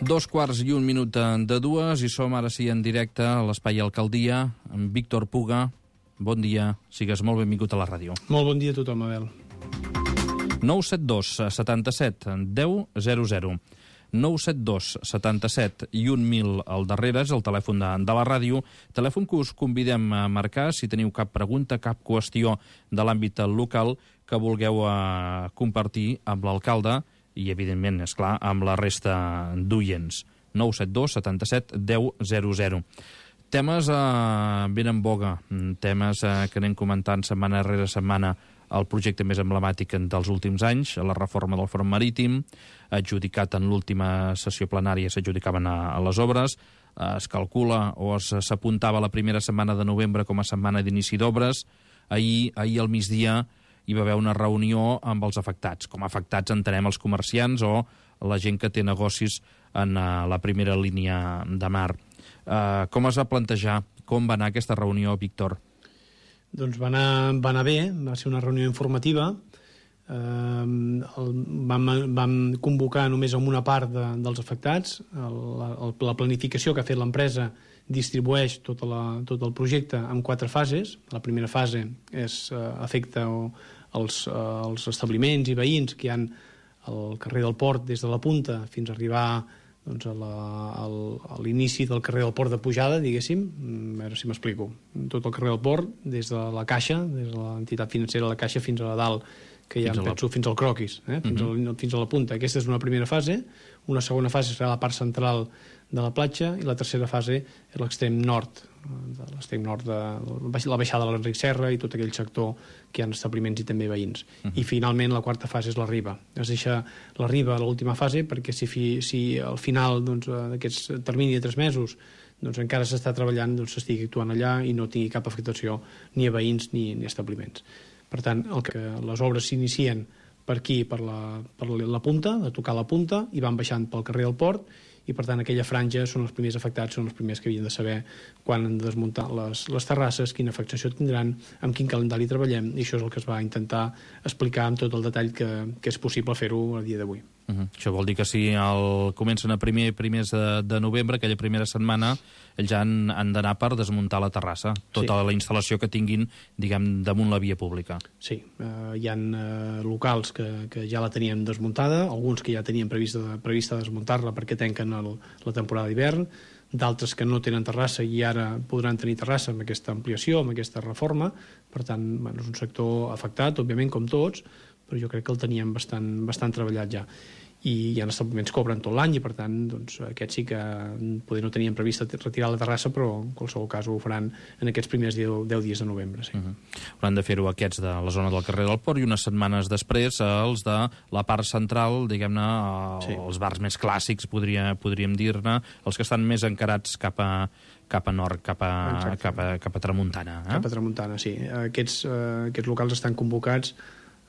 2:01 i som ara sí en directe a l'Espai Alcaldia amb Víctor Puga. Bon dia, sigues molt benvingut a la ràdio. Molt bon dia a tothom, Abel. 972 77 10 00. 972 77 i 1000 al darrere és el telèfon de la ràdio, telèfon que us convidem a marcar si teniu cap pregunta, cap qüestió de l'àmbit local que vulgueu compartir amb l'alcalde i, evidentment, és clar, amb la resta d'oients. 972 77 10 00. Temes ben en boga, temes que anem comentant setmana rere setmana. El projecte més emblemàtic dels últims anys, la reforma del front marítim, adjudicat en l'última sessió plenària, s'adjudicaven a les obres, es calcula o s'apuntava la primera setmana de novembre com a setmana d'inici d'obres. Ahir al migdia hi va haver una reunió amb els afectats. Com a afectats entenem els comerciants o la gent que té negocis en la primera línia de mar. Com es va plantejar? Com va anar aquesta reunió, Víctor? Doncs va anar bé, va ser una reunió informativa. Vam convocar només amb una part dels afectats. La planificació que ha fet l'empresa distribueix tot el projecte en 4 fases. La primera fase afecta els establiments i veïns que hi ha al carrer del Port des de la Punta fins a arribar a l'inici del carrer del Port de pujada, diguéssim, a veure si m'explico. Tot el carrer del Port, des de la Caixa, des de l'entitat financera de la Caixa fins a dalt, que ja penso fins al Croquis, fins a la Punta. Aquesta és una primera fase. Una segona fase serà la part central de la platja i la tercera fase és l'extrem nord, la baixada de l'Enric Serra i tot aquell sector que hi ha establiments i també veïns. I finalment la quarta fase és la riba. Es deixa la riba a l'última fase perquè si al final d'aquests termini de 3 mesos encara s'està treballant, s'estigui actuant allà i no tingui cap afectació ni a veïns ni a establiments. Per tant, les obres s'inicien per aquí, per la punta, de tocar la punta, i van baixant pel carrer del Port, i per tant aquella franja són els primers afectats, són els primers que havien de saber quan han de desmuntar les terrasses, quina afectació tindran, amb quin calendari treballem, i això és el que es va intentar explicar amb tot el detall que és possible fer-ho a dia d'avui. Això vol dir que si comencen a primers de novembre, aquella primera setmana, ells han d'anar per desmuntar la terrassa, tota la instal·lació que tinguin, diguem, damunt la via pública. Sí, hi ha locals que ja la tenien desmuntada, alguns que ja tenien prevista desmuntar-la perquè tanquen la temporada d'hivern, d'altres que no tenen terrassa i ara podran tenir terrassa amb aquesta ampliació, amb aquesta reforma. Per tant, és un sector afectat, òbviament, com tots, però jo crec que el teníem bastant treballat ja. I hi ha establiments que obren tot l'any i per tant aquests sí que potser no tenien previst retirar la terrassa, però en qualsevol cas ho faran en aquests primers 10 dies de novembre. Hauran de fer-ho aquests de la zona del carrer del Port i unes setmanes després els de la part central, diguem-ne, els bars més clàssics, podríem dir-ne, els que estan més encarats cap a nord, cap a tramuntana. Cap a tramuntana, sí. Aquests locals estan convocats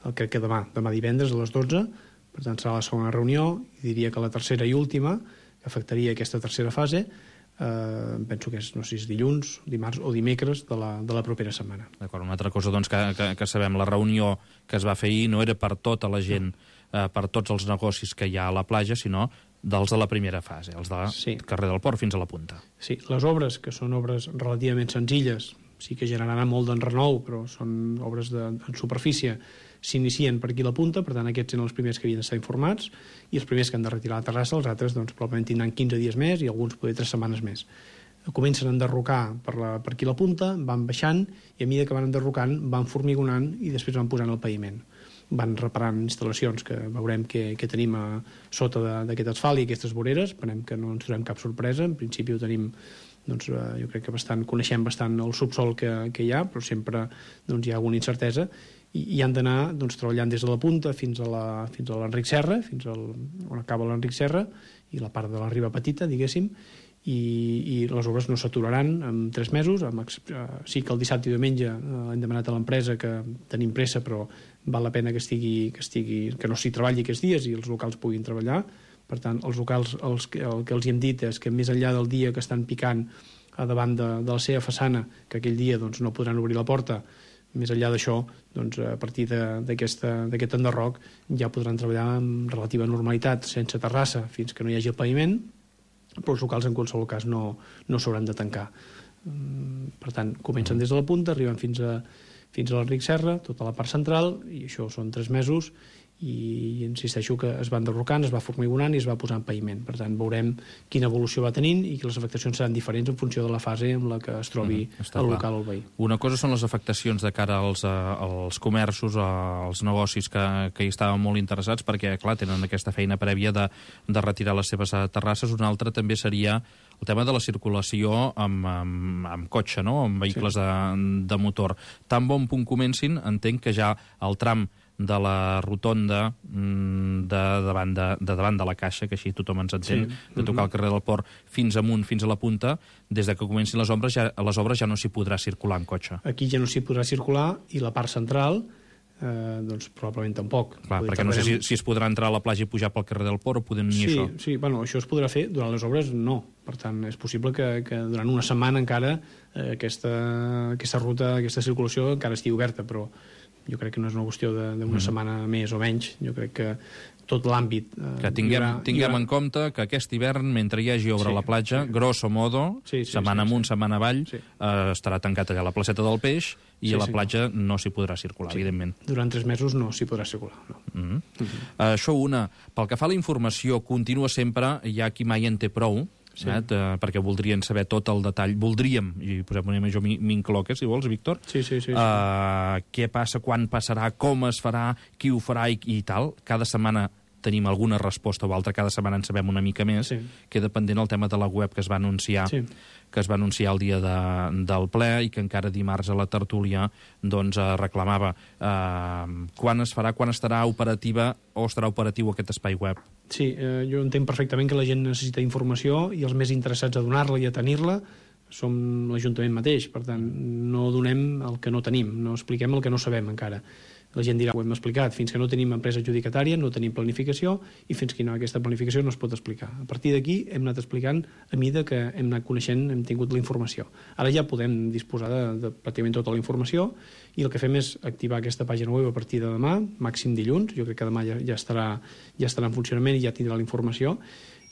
crec que demà divendres a les 12. Per tant, serà la segona reunió, i diria que la tercera i última, que afectaria aquesta tercera fase, penso que és, no sé si és dilluns, dimarts o dimecres de la propera setmana. D'acord, una altra cosa que sabem, la reunió que es va fer ahir no era per tota la gent, per tots els negocis que hi ha a la platja, sinó dels de la primera fase, els del carrer del Port fins a la Punta. Sí, les obres, que són obres relativament senzilles, sí que generaran molt d'enrenou, però són obres en superfície, s'inicien per aquí a la Punta, per tant aquests eren els primers que havien d'estar informats, i els primers que han de retirar la terrassa, els altres probablement tindran 15 dies més i alguns poder 3 setmanes més. Comencen a enderrocar per aquí a la Punta, van baixant, i a mesura que van enderrocant van formigonant i després van posant el paviment. Van reparant instal·lacions que veurem que tenim a sota d'aquest asfalt i aquestes voreres. Esperem que no ens trobem cap sorpresa. En principi ho tenim, jo crec que coneixem bastant el subsol que hi ha, però sempre hi ha alguna incertesa, i han d'anar treballant des de la Punta fins a l'Enric Serra, fins on acaba l'Enric Serra i la part de la riba petita, diguéssim, i les obres no s'aturaran en 3 mesos. Sí que el dissabte i diumenge hem demanat a l'empresa que tenim pressa, però val la pena que no s'hi treballi aquests dies i els locals puguin treballar. Per tant, els locals el que els hem dit és que més enllà del dia que estan picant a davant de la seva façana, que aquell dia no podran obrir la porta, més enllà d'això, a partir d'aquest enderroc ja podran treballar amb relativa normalitat, sense terrassa, fins que no hi hagi el paviment, però els locals en qualsevol cas no s'hauran de tancar. Per tant, comencen des de la punta, arriben fins a l'Enric Serra, tota la part central, i això són 3 mesos, i insisteixo que es va enderrocant, es va formigonant i es va posant paviment. Per tant, veurem quina evolució va tenint i que les afectacions seran diferents en funció de la fase en la que es trobi el local o el veí. Una cosa són les afectacions de cara als comerços, als negocis que hi estaven molt interessats, perquè, clar, tenen aquesta feina prèvia de retirar les seves terrasses. Una altra també seria el tema de la circulació amb cotxe, no?, amb vehicles de motor. Tan bon punt comencin, entenc que ja el tram de la rotonda de davant de la Caixa, que així tothom ens entén, de tocar el carrer del Port fins amunt, fins a la punta, des de que comencin les obres ja no s'hi podrà circular en cotxe. Aquí ja no s'hi podrà circular, i la part central doncs probablement tampoc. Clar, perquè no sé si es podrà entrar a la platja i pujar pel carrer del Port o podem ni això. Sí, bueno, això es podrà fer, durant les obres no. Per tant, és possible que durant una setmana encara aquesta ruta, aquesta circulació encara estigui oberta, però jo crec que no és una qüestió d'una setmana més o menys. Jo crec que tot l'àmbit... Que tinguem en compte que aquest hivern, mentre hi hagi obra a la platja, grosso modo, setmana amunt, setmana avall, estarà tancat allà a la placeta del Peix i a la platja no s'hi podrà circular, evidentment. Durant 3 mesos no s'hi podrà circular, no. Això pel que fa a la informació, continua sempre, hi ha qui mai en té prou, perquè voldrien saber tot el detall. Voldríem, i jo m'incloc, si vols, Víctor, què passa, quan passarà, com es farà, qui ho farà i tal. Cada setmana tenim alguna resposta o altra, cada setmana en sabem una mica més. Queda pendent el tema de la web que es va anunciar el dia del ple i que encara dimarts a la tertúlia reclamava quan es farà, quan estarà operativa o estarà operatiu aquest espai web. Sí, jo entenc perfectament que la gent necessita informació i els més interessats a donar-la i a tenir-la som l'Ajuntament mateix. Per tant, no donem el que no tenim, no expliquem el que no sabem encara. La gent dirà, ho hem explicat, fins que no tenim empresa adjudicatària no tenim planificació, i fins que aquesta planificació no es pot explicar. A partir d'aquí hem anat explicant a mesura que hem anat coneixent, hem tingut la informació. Ara ja podem disposar de pràcticament tota la informació, i el que fem és activar aquesta pàgina web a partir de demà, màxim dilluns. Jo crec que demà ja estarà en funcionament i ja tindrà la informació,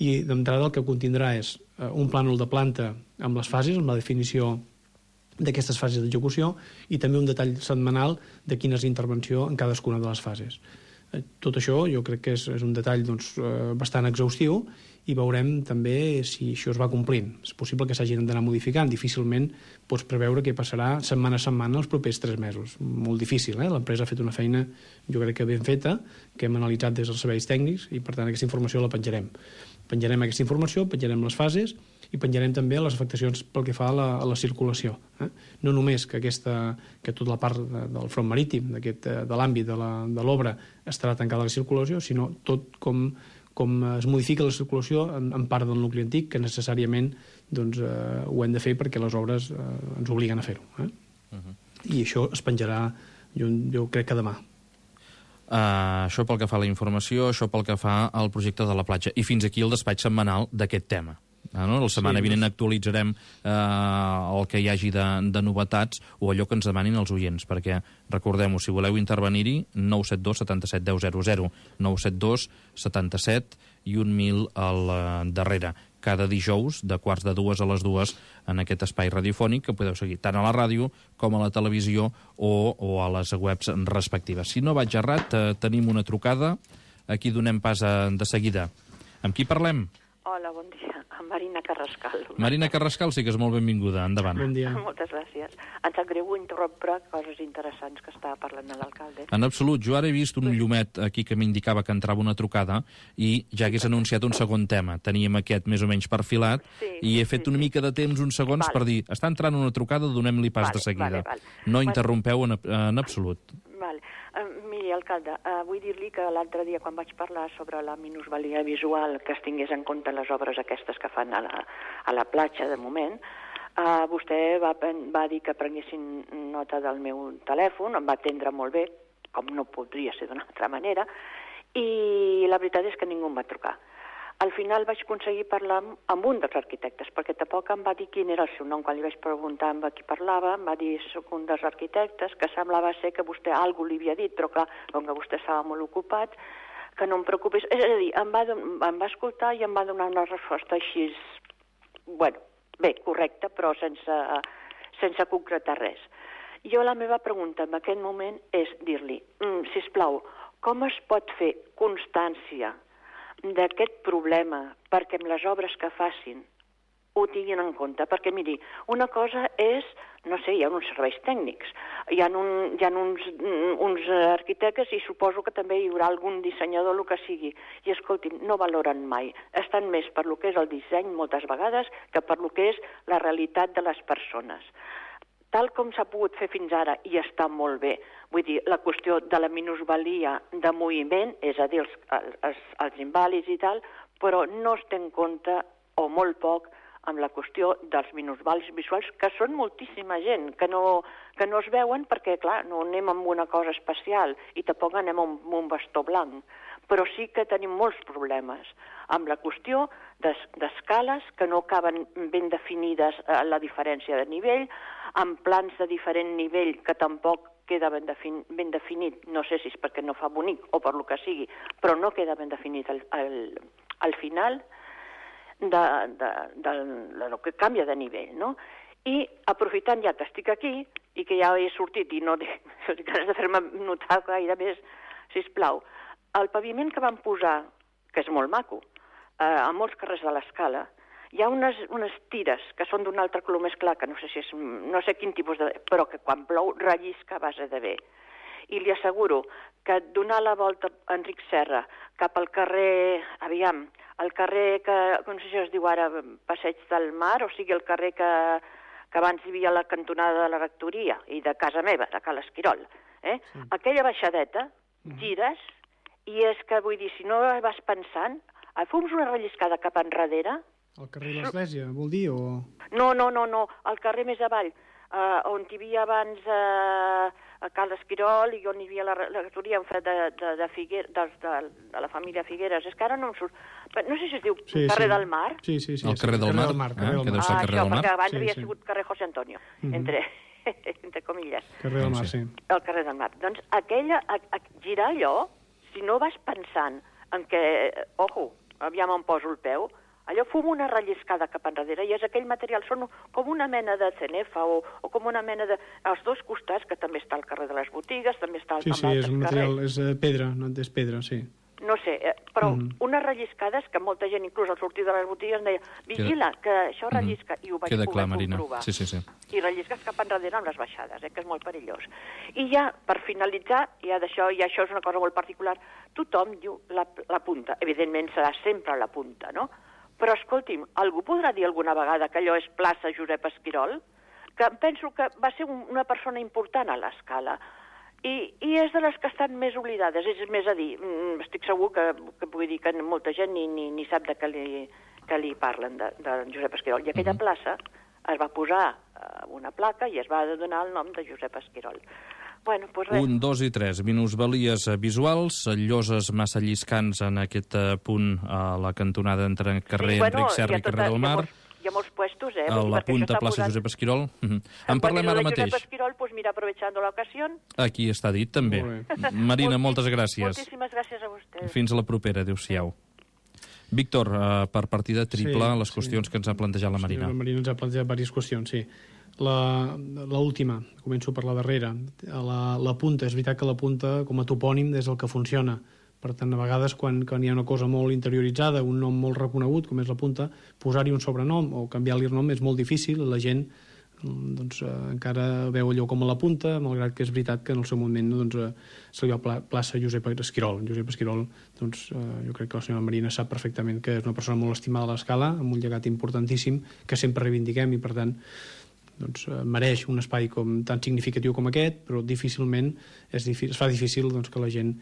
i d'entrada el que contindrà és un plànol de planta amb les fases, amb la definició d'aquestes fases d'execució, i també un detall setmanal de quina és l'intervenció en cadascuna de les fases. Tot això jo crec que és un detall bastant exhaustiu, i veurem també si això es va complint. És possible que s'hagin d'anar modificant. Difícilment pots preveure què passarà setmana a setmana els propers 3 mesos. Molt difícil, L'empresa ha fet una feina, jo crec que ben feta, que hem analitzat des dels serveis tècnics, i per tant aquesta informació la penjarem. Penjarem aquesta informació, penjarem les fases, i penjarem també les afectacions pel que fa a la circulació. No només que tota la part del front marítim, de l'àmbit de l'obra, estarà tancada a la circulació, sinó tot com es modifica la circulació en part del nucli antic, que necessàriament ho hem de fer perquè les obres ens obliguen a fer-ho. I això es penjarà, jo crec que demà. Això pel que fa a la informació, això pel que fa al projecte de la platja. I fins aquí el despatx setmanal d'aquest tema. La setmana vinent actualitzarem el que hi hagi de novetats o allò que ens demanin els oients, perquè recordem-ho, si voleu intervenir-hi, 972 77 10 00, 972 77 i 1000 al darrere. Cada dijous, de 1:45 a les 2, en aquest espai radiofònic, que podeu seguir tant a la ràdio com a la televisió o a les webs respectives. Si no vaig errat, tenim una trucada. Aquí donem pas de seguida. Amb qui parlem? Hola, bon dia. Amb Marina Carrascal. Marina Carrascal, sí que és molt benvinguda. Endavant. Bon dia. Moltes gràcies. Em sap greu interrompre coses interessants que estava parlant l'alcalde. En absolut. Jo ara he vist un llumet aquí que m'indicava que entrava una trucada i ja hagués anunciat un segon tema. Teníem aquest més o menys perfilat i he fet una mica de temps, uns segons, per dir, està entrant una trucada, donem-li pas de seguida. No interrompeu en absolut. Miri, alcalde, vull dir-li que l'altre dia quan vaig parlar sobre la minusvalia visual, que es tingués en compte les obres aquestes que fan a la platja de moment, vostè va dir que prenguessin nota del meu telèfon, em va atendre molt bé, com no podria ser d'una altra manera, i la veritat és que ningú em va trucar. Al final vaig aconseguir parlar amb un dels arquitectes, perquè tampoc em va dir quin era el seu nom. Quan li vaig preguntar amb qui parlava, em va dir, soc un dels arquitectes, que semblava ser que vostè alguna li havia dit, però clar, com que vostè estava molt ocupat, que no em preocupis. És a dir, em va escoltar i em va donar una resposta així, bueno, bé, correcta, però sense concretar res. Jo la meva pregunta en aquest moment és dir-li, sisplau, com es pot fer constància d'aquest problema perquè amb les obres que facin ho tinguin en compte? Perquè, miri, una cosa és, no sé, hi ha uns serveis tècnics, hi ha uns arquitectes i suposo que també hi haurà algun dissenyador, el que sigui, i escolti'm, no valoren mai. Estan més per lo que és el disseny moltes vegades que per lo que és la realitat de les persones. Tal com s'ha pogut fer fins ara, i està molt bé, vull dir, la qüestió de la minusvalia de moviment, és a dir, els invàlids i tal, però no es té en compte, o molt poc, amb la qüestió dels minusvàlids visuals, que són moltíssima gent, que no es veuen perquè, clar, no anem amb una cosa especial i tampoc anem amb un bastó blanc, però sí que tenim molts problemes amb la qüestió d'escales que no acaben ben definides la diferència de nivell, amb plans de diferent nivell que tampoc queda ben definit, no sé si és perquè no fa bonic o per lo que sigui, però no queda ben definit al final del que canvia de nivell, no? I aprofitant ja que estic aquí i que ja he sortit i no tinc ganes de fer-me notar gaire més, sisplau, el paviment que van posar, que és molt maco, a molts carrers de l'Escala, hi ha unes tires que són d'un altre color més clar, que no sé quin tipus de... però que quan plou rellisca a base de bé. I li asseguro que donar la volta a Enric Serra cap al carrer, el carrer que, no sé si es diu ara, Passeig del Mar, o sigui el carrer que abans hi havia la cantonada de la rectoria i de casa meva, de Cal Esquirol, sí. Aquella baixadeta, gires, i és que, vull dir, si no vas pensant, fums una relliscada cap enrere... El carrer de l'Església, vol dir, o...? No, el carrer més avall, on hi havia abans a Cal Esquirol i on hi havia la rectoria de la família Figueres. És que ara no em surt... No sé si es diu carrer del Mar. Sí. El carrer del Mar, que deu ser el carrer del Mar. Perquè abans havia sigut carrer José Antonio, entre comilles. Carrer del Mar, sí. El carrer del Mar. Doncs girar allò, si no vas pensant en què, aviam on poso el peu, allò fum una relliscada cap enrere i és aquell material, són com una mena de cenefa o com una mena de... als dos costats, que també està al carrer de les botigues, també està al carrer. Sí, és un material, és pedra, no és pedra, sí. No sé, però unes relliscades que molta gent, inclús al sortir de les botigues, em deia, vigila, que això rellisca, i ho vaig poder comprovar. Sí. I rellisques cap enrere amb les baixades, que és molt perillós. I ja, per finalitzar, i això és una cosa molt particular, tothom diu la punta. Evidentment serà sempre la punta, no? Però, escolti'm, algú podrà dir alguna vegada que allò és plaça Josep Esquirol? Que penso que va ser una persona important a l'Escala. I és de les que estan més oblidades. És més a dir, estic segur que vull dir que molta gent ni sap de què li parlen de Josep Esquirol. I aquella plaça es va posar una placa i es va donar el nom de Josep Esquirol. Bueno, pues res. 1, 2 i 3. Minusvalies visuals, lloses massa lliscants en aquest punt a la cantonada entre carrer Enric Serra i carrer del Mar. Hi ha molts puestos, a la punta plaça Josep Esquirol. En parlem ara mateix. Josep Esquirol, pues mira, aprovechando la ocasión. Aquí està dit, també. Marina, moltes gràcies. Moltíssimes gràcies a vostè. Fins a la propera, adéu-siau. Víctor, per partida triple, les qüestions que ens ha plantejat la Marina. La Marina ens ha plantejat diverses qüestions, sí. L'última, començo per la darrera. La punta, és veritat que la punta, com a topònim, és el que funciona. Per tant, a vegades, quan hi ha una cosa molt interioritzada, un nom molt reconegut, com és la punta, posar-hi un sobrenom o canviar-li el nom és molt difícil. La gent encara veu allò com a la punta, malgrat que és veritat que en el seu moment se li va plaça Josep Esquirol. Josep Esquirol, jo crec que la senyora Marina sap perfectament que és una persona molt estimada a l'Escala, amb un llegat importantíssim que sempre reivindiquem i, per tant, mereix un espai tan significatiu com aquest, però difícilment es fa difícil que la gent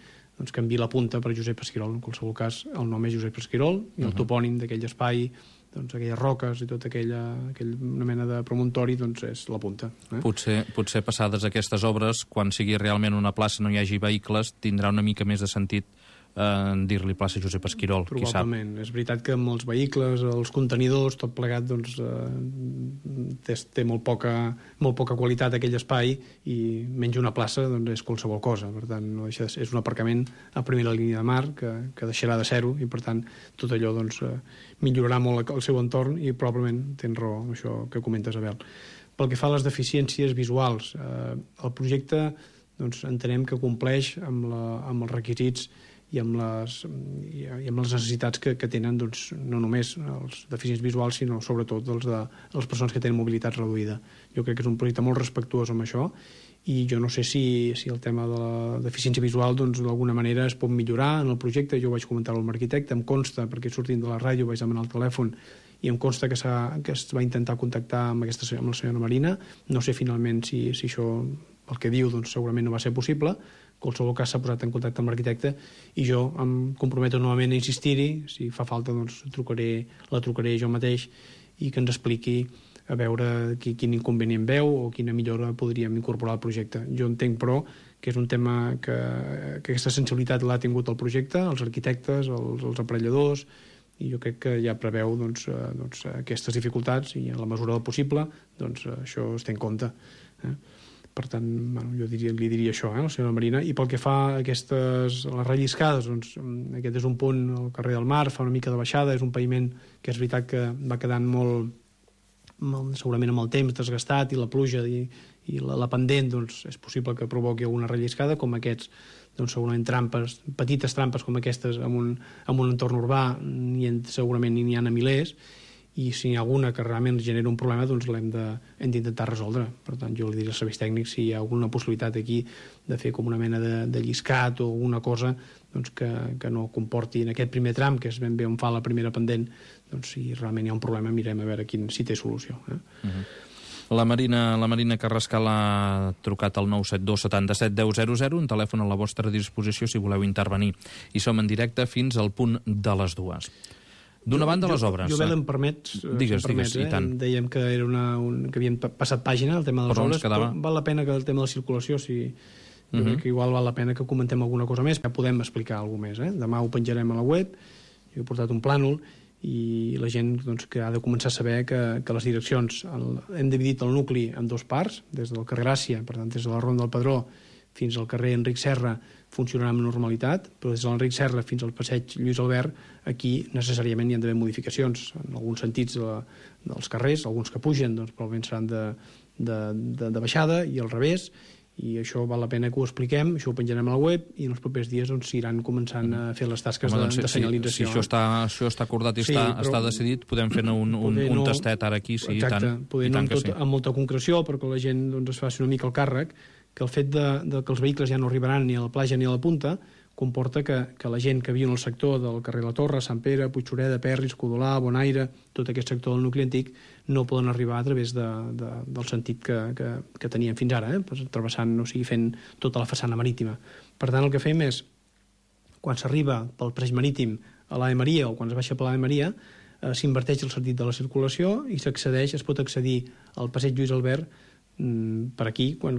canviï la punta per Josep Esquirol. En qualsevol cas, el nom és Josep Esquirol i el topònim d'aquell espai, aquelles roques i tota una mena de promontori, és la punta. Potser passades aquestes obres, quan sigui realment una plaça no hi hagi vehicles, tindrà una mica més de sentit dir-li plaça Josep Esquirol, qui sap. Probablement. És veritat que amb els vehicles, els contenidors, tot plegat, doncs, té molt poca qualitat aquell espai i menys una plaça doncs, és qualsevol cosa. Per tant, no deixa, és un aparcament a primera línia de mar que deixarà de ser-ho i, per tant, tot allò doncs, millorarà molt el seu entorn i probablement tens raó amb això que comentes, Abel. Pel que fa a les deficiències visuals, el projecte doncs, entenem que compleix amb els requisits i amb les necessitats que tenen doncs, no només els deficients visuals, sinó sobretot de les persones que tenen mobilitat reduïda. Jo crec que és un projecte molt respectuós amb això i jo no sé si el tema de la deficiència visual doncs, d'alguna manera es pot millorar en el projecte. Jo vaig comentar-ho amb l'arquitecte, em consta, perquè sortint de la ràdio vaig demanar el telèfon i em consta que es va intentar contactar amb la senyora Marina. No sé finalment si això, el que diu, doncs, segurament no va ser possible. En qualsevol cas s'ha posat en contacte amb l'arquitecte i jo em comprometo novament a insistir-hi. Si fa falta, doncs, la trucaré jo mateix i que ens expliqui a veure quin inconvenient veu o quina millora podríem incorporar al projecte. Jo entenc, però, que és un tema que aquesta sensibilitat l'ha tingut el projecte, els arquitectes, els aparelladors, i jo crec que ja preveu doncs, aquestes dificultats i en la mesura del possible doncs, això es té en compte. Per tant, jo li diria això, a la senyora Marina. I pel que fa a les relliscades, doncs, aquest és un punt al carrer del Mar, fa una mica de baixada, és un paviment que és veritat que va quedant molt segurament amb el temps desgastat i la pluja i la pendent, doncs, és possible que provoqui alguna relliscada, com aquests, doncs, segurament petites trampes com aquestes en un entorn urbà, segurament n'hi ha a milers, i si n'hi ha alguna que realment genera un problema, doncs l'hem d'intentar resoldre. Per tant, jo li diria als serveis tècnics si hi ha alguna possibilitat aquí de fer com una mena de lliscat o alguna cosa doncs, que no comporti en aquest primer tram, que és ben bé on fa la primera pendent, doncs si realment hi ha un problema mirem a veure si té solució. La Marina Carrascal ha trucat al 972 77 10 00, un telèfon a la vostra disposició si voleu intervenir. I som en directe fins al punt de les 2. D'una banda, les obres. Jo, em permets... Digues, i tant. Dèiem que era que havien passat pàgina, el tema de les obres, però val la pena que el tema de la circulació, jo crec que igual val la pena que comentem alguna cosa més, que podem explicar alguna cosa més. Demà ho penjarem a la web, jo he portat un plànol, i la gent doncs, que ha de començar a saber que les direccions... Hem dividit el nucli en dues parts, des del carrer Gràcia, per tant, des de la Ronda del Pedró fins al carrer Enric Serra, funcionarà amb normalitat, però des de l'Enric Serra fins al passeig Lluís Albert, aquí necessàriament hi ha d'haver modificacions en alguns sentits dels carrers, alguns que pugen doncs, probablement seran de baixada i al revés, i això val la pena que ho expliquem, això ho penjarem a la web i en els propers dies doncs, iran començant a fer les tasques de senyalització. Si això està acordat i està decidit, podem fer un tastet ara aquí, sí, exacte, i tant. Poder no amb molta concreció, perquè la gent doncs, es faci una mica el càrrec, que el fet que els vehicles ja no arribaran ni a la platja ni a la punta comporta que la gent que viu en el sector del carrer La Torre, Sant Pere, Puigxureda, Perris, Codolà, Bonaire, tot aquest sector del nucli antic, no poden arribar a través del sentit que tenien fins ara, travessant, fent tota la façana marítima. Per tant, el que fem és, quan s'arriba pel passeig marítim a l'Ave Maria o quan es baixa per l'Ave Maria, s'inverteix el sentit de la circulació i es pot accedir al passeig Lluís Albert per aquí, quan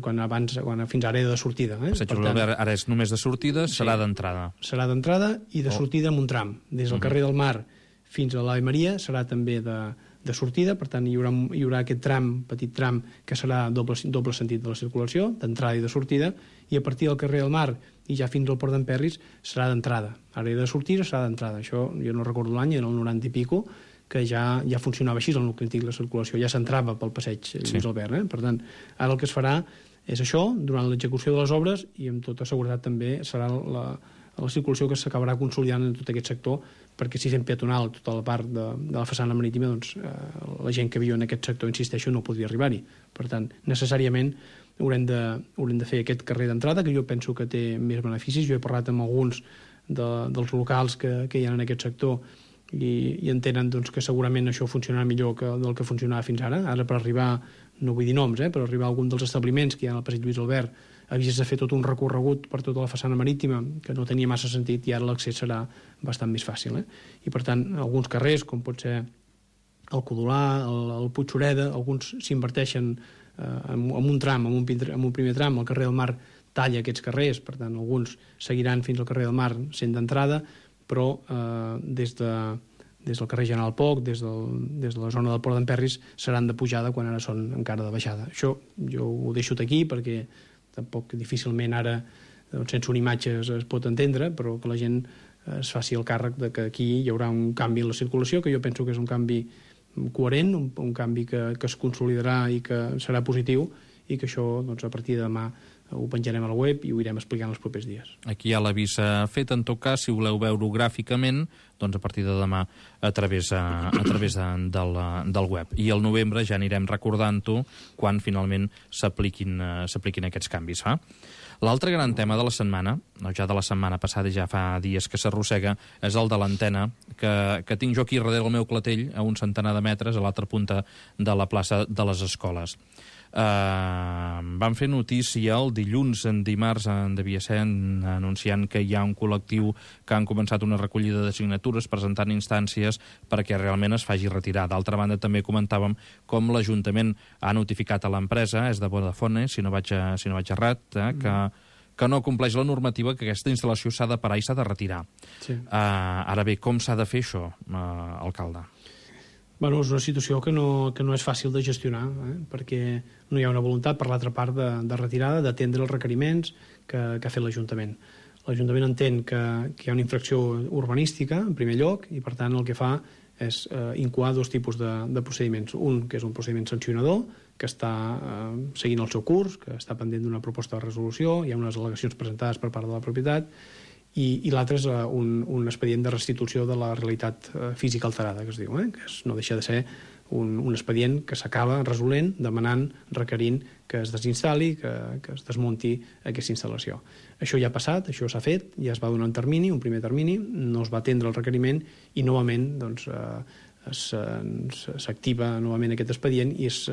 fins ara era de sortida. Passeig Lluís Albert ara és només de sortida, serà d'entrada. Serà d'entrada i de sortida amb un tram. Des del carrer del Mar fins a l'Ave Maria serà també de sortida, per tant hi haurà aquest petit tram, que serà doble sentit de la circulació, d'entrada i de sortida, i a partir del carrer del Mar i ja fins al Port d'en Perris serà d'entrada. Ara era de sortida, serà d'entrada. Això jo no recordo l'any, era el 90 i pico, que ja funcionava així el nucli antic, la circulació ja s'entrava pel passeig Lluís Albert. Per tant, ara el que es farà és això, durant l'execució de les obres, i amb tota seguretat també serà la circulació que s'acabarà consolidant en tot aquest sector, perquè si fem peatonal tota la part de la façana marítima, doncs la gent que viu en aquest sector, insisteixo, no podria arribar-hi. Per tant, necessàriament haurem de fer aquest carrer d'entrada, que jo penso que té més beneficis. Jo he parlat amb alguns dels locals que hi ha en aquest sector i entenen doncs, que segurament això funcionarà millor del que funcionava fins ara. Ara, per arribar, no vull dir noms, per arribar a algun dels establiments que hi ha al passeig Lluís Albert, havies de fer tot un recorregut per tota la façana marítima que no tenia massa sentit i ara l'accés serà bastant més fàcil. I, per tant, alguns carrers, com pot ser el Codolà, el Puigxureda, alguns s'inverteixen en un tram, en un primer tram, al carrer del Mar talla aquests carrers, per tant, alguns seguiran fins al carrer del Mar sent d'entrada, però des del carrer General Poc, des de la zona del Port d'Emperris, seran de pujada quan ara són encara de baixada. Això jo ho deixo aquí perquè tampoc difícilment ara, sense una imatge es pot entendre, però que la gent es faci el càrrec de que aquí hi haurà un canvi en la circulació, que jo penso que és un canvi coherent, un canvi que es consolidarà i que serà positiu, i que això, doncs, a partir de demà ho penjarem a la web i ho irem explicant els propers dies. Aquí hi ha l'avís fet, en tot cas, si voleu veure-ho gràficament, doncs a partir de demà a través del web. I al novembre ja anirem recordant-ho quan finalment s'apliquin aquests canvis. L'altre gran tema de la setmana, ja de la setmana passada, ja fa dies que s'arrossega, és el de l'antena, que tinc jo aquí darrere el meu clatell, a un centenar de metres, a l'altra punta de la plaça de les Escoles. Van fer notícia el dilluns, en dimarts, devia ser, anunciant que hi ha un col·lectiu que han començat una recollida de signatures presentant instàncies perquè realment es faci retirar. D'altra banda, també comentàvem com l'Ajuntament ha notificat a l'empresa, és de Vodafone, si no vaig errat, que no compleix la normativa, que aquesta instal·lació s'ha de parar i s'ha de retirar. Sí. Ara bé, com s'ha de fer això, alcalde? Bueno, és una situació que no és fàcil de gestionar, perquè no hi ha una voluntat per l'altra part de retirada, d'atendre els requeriments que ha fet l'Ajuntament. L'Ajuntament entén que hi ha una infracció urbanística, en primer lloc, i per tant el que fa és incoar dos tipus de procediments. Un, que és un procediment sancionador, que està seguint el seu curs, que està pendent d'una proposta de resolució, hi ha unes al·legacions presentades per part de la propietat, i l'altre és un expedient de restitució de la realitat física alterada, que es diu, que no deixa de ser un expedient que s'acaba resolent, demanant, requerint que es desinstal·li, que es desmunti aquesta instal·lació. Això ja ha passat, això s'ha fet, ja es va donar un primer termini, no es va atendre el requeriment i novament doncs, s'activa novament aquest expedient i es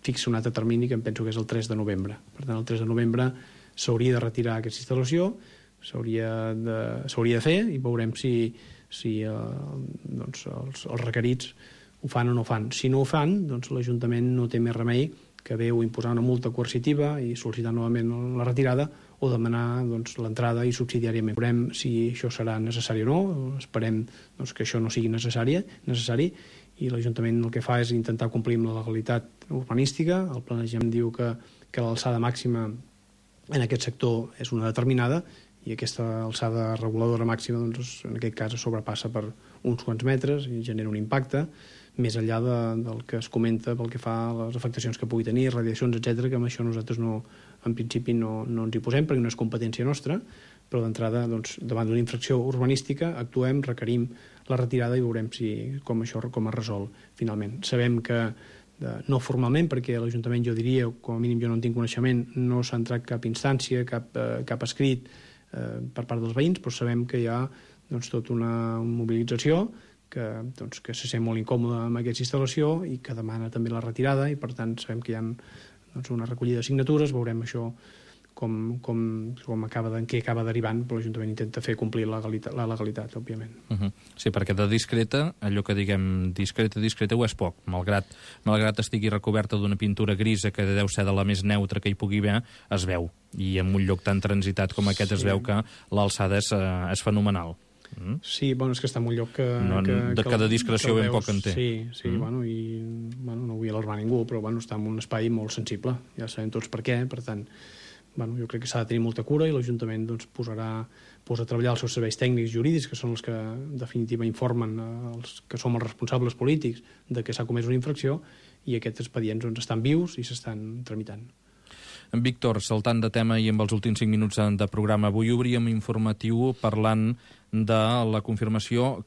fixa un altre termini que em penso que és el 3 de novembre. Per tant, el 3 de novembre s'hauria de retirar aquesta instal·lació, s'hauria de fer i veurem si doncs els requerits ho fan o no ho fan. Si no ho fan, doncs l'Ajuntament no té més remei que haver o imposar una multa coercitiva i sol·licitar novament la retirada o demanar doncs, l'entrada i subsidiàriament. Veurem si això serà necessari o no, esperem doncs, que això no sigui necessari i l'Ajuntament el que fa és intentar complir amb la legalitat urbanística. El planejament diu que l'alçada màxima en aquest sector és una determinada i aquesta alçada reguladora màxima doncs, en aquest cas es sobrepassa per uns quants metres i genera un impacte més enllà del que es comenta pel que fa a les afectacions que pugui tenir, radiacions, etc, que amb això nosaltres en principi no ens hi posem perquè no és competència nostra, però d'entrada doncs, davant d'una infracció urbanística actuem, requerim la retirada i veurem com es resol finalment. Sabem que no formalment, perquè l'Ajuntament, jo diria, com a mínim jo no en tinc coneixement, no s'ha entrat cap instància, cap escrit per part dels veïns, però sabem que hi ha doncs, tota una mobilització que se sent molt incòmoda amb aquesta instal·lació i que demana també la retirada i per tant sabem que hi ha doncs, una recollida de signatures, veurem això en què acaba derivant, però l'Ajuntament intenta fer complir la legalitat, òbviament. Sí, perquè de discreta, allò que diguem discreta ho és poc, malgrat estigui recoberta d'una pintura grisa que deu ser de la més neutra que hi pugui haver, es veu, i en un lloc tan transitat com aquest es veu que l'alçada és fenomenal. Sí, bueno, és que està en un lloc que de discreció ben poc en té. Sí, bueno, i no vull alarmar ningú, però està en un espai molt sensible, ja sabem tots per què, per tant, jo crec que s'ha de tenir molta cura i l'Ajuntament posa a treballar els seus serveis tècnics jurídics, que són els que en definitiva informen els que som els responsables polítics de que s'ha comès una infracció i aquests expedients estan vius i s'estan tramitant. En Víctor, saltant de tema i amb els últims 5 minuts de programa, avui obríem informatiu parlant de la confirmació,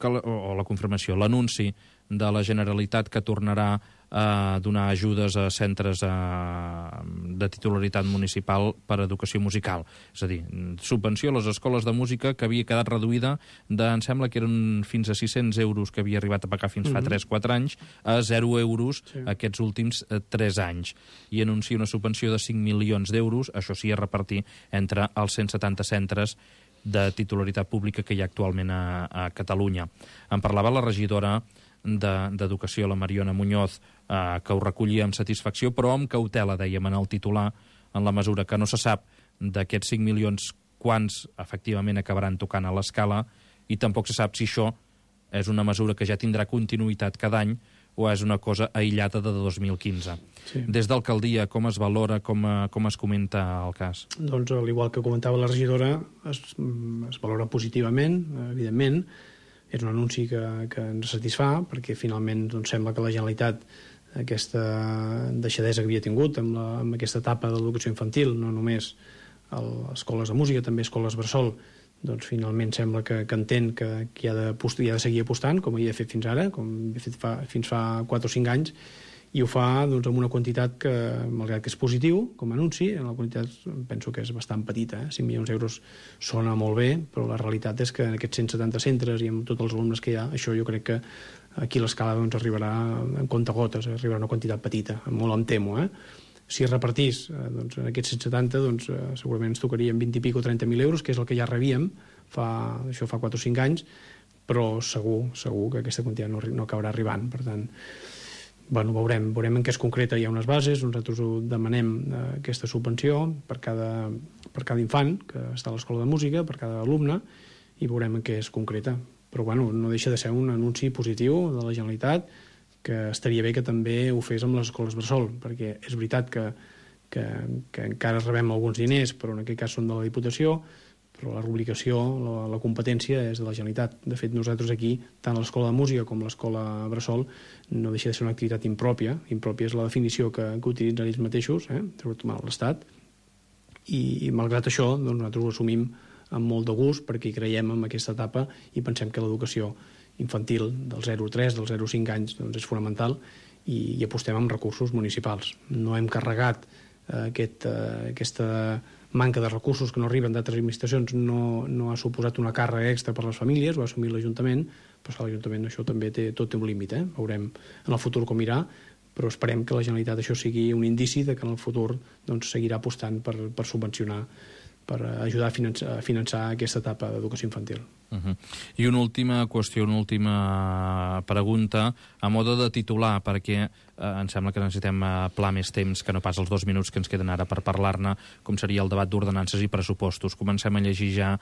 l'anunci de la Generalitat que tornarà a donar ajudes a centres de titularitat municipal per a educació musical. És a dir, subvenció a les escoles de música que havia quedat reduïda em sembla que eren fins a 600 euros que havia arribat a pagar fins fa 3-4 anys, a 0 euros aquests últims 3 anys. I anuncia una subvenció de 5 milions d'euros, això sí, a repartir entre els 170 centres de titularitat pública que hi ha actualment a Catalunya. En parlava la regidora d'Educació, la Mariona Muñoz, que ho recollia amb satisfacció, però amb cautela, dèiem en el titular, en la mesura que no se sap d'aquests 5 milions quants efectivament acabaran tocant a l'Escala, i tampoc se sap si això és una mesura que ja tindrà continuïtat cada any o és una cosa aïllada de 2015. Sí. Des d'alcaldia, com es valora, com es comenta el cas? Doncs, al igual que comentava la regidora, es valora positivament, evidentment. És un anunci que ens satisfà, perquè finalment doncs, sembla que la Generalitat aquesta deixadesa que havia tingut amb aquesta etapa de l'educació infantil, no només escoles de música, també escoles bressol, doncs finalment sembla que entén que hi ha de seguir apostant, com hi ha fet fins ara, com he fet fins fa 4 o 5 anys, i ho fa doncs, amb una quantitat que, malgrat que és positiu, com a anunci, la quantitat penso que és bastant petita, 5 milions d'euros sona molt bé, però la realitat és que en aquests 170 centres i amb tots els alumnes que hi ha, això jo crec que aquí a l'Escala doncs, arribarà en comptagotes, arribarà una quantitat petita, molt em temo, Si es repartís doncs, en aquests 170, doncs, segurament ens tocarien 20 i pico o 30.000 euros, que és el que ja rebíem, això fa 4 o 5 anys, però segur que aquesta quantitat no acabarà arribant. Per tant, bueno, veurem en què es concreta. Hi ha unes bases, nosaltres demanem aquesta subvenció per cada infant que està a l'escola de música, per cada alumne, i veurem en què es concreta. Però bueno, no deixa de ser un anunci positiu de la Generalitat, que estaria bé que també ho fes amb les escoles bressol, perquè és veritat que encara rebem alguns diners, però en aquest cas són de la Diputació, però la rubricació, la competència és de la Generalitat. De fet, nosaltres aquí, tant a l'escola de música com a l'escola bressol, no deixa de ser una activitat impròpia. Impròpia és la definició que utilitzen ells mateixos, sobretot l'Estat, i malgrat això, doncs, nosaltres ho assumim amb molt de gust, perquè hi creiem en aquesta etapa i pensem que l'educació infantil del 0-3, del 0-5 anys doncs és fonamental, i apostem amb recursos municipals. No hem carregat aquesta manca de recursos que no arriben d'altres administracions, no ha suposat una càrrega extra per a les famílies, ho ha assumit l'Ajuntament, però l'Ajuntament això també tot té un límit. Veurem en el futur com irà, però esperem que la Generalitat això sigui un indici de que en el futur doncs, seguirà apostant per subvencionar, per ajudar a finançar aquesta etapa d'educació infantil. I una última qüestió, una última pregunta, a moda de titular, perquè em sembla que necessitem pla més temps que no pas els 2 minuts que ens queden ara per parlar-ne, com seria el debat d'ordenances i pressupostos. Comencem a llegir ja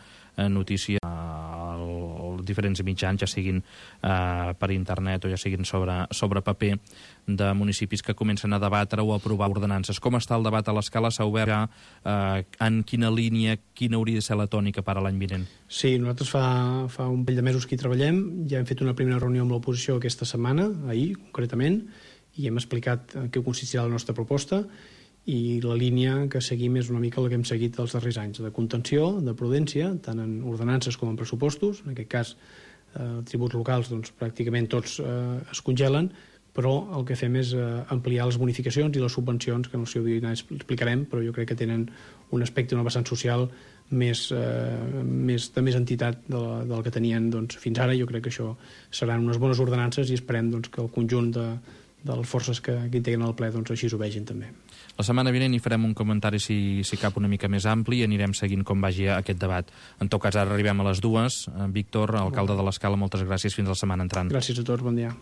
notícies als diferents mitjans, ja siguin per internet o ja siguin sobre paper, de municipis que comencen a debatre o a aprovar ordenances. Com està el debat a l'Escala? S'ha obert ja en quina línia, quina hauria de ser la tònica per a l'any vinent? Sí, nosaltres fa un parell de mesos que hi treballem, ja hem fet una primera reunió amb l'oposició aquesta setmana, ahir concretament, i hem explicat en què consistirà la nostra proposta, i la línia que seguim és una mica la que hem seguit els darrers anys, de contenció, de prudència, tant en ordenances com en pressupostos. En aquest cas, tributs locals, doncs, pràcticament tots es congelen, però el que fem és ampliar les bonificacions i les subvencions, que en el seu dia explicarem, però jo crec que tenen un aspecte, una vessant social de més entitat del que tenien doncs, fins ara. Jo crec que això seran unes bones ordenances i esperem doncs, que el conjunt de les forces que integren el ple doncs, així ho vegin també. La setmana vinent hi farem un comentari, si cap, una mica més ampli, i anirem seguint com vagi aquest debat. En tot cas, ara arribem a les 2. Víctor, alcalde de l'Escala, moltes gràcies. Fins la setmana entrant. Gràcies a tots, bon dia.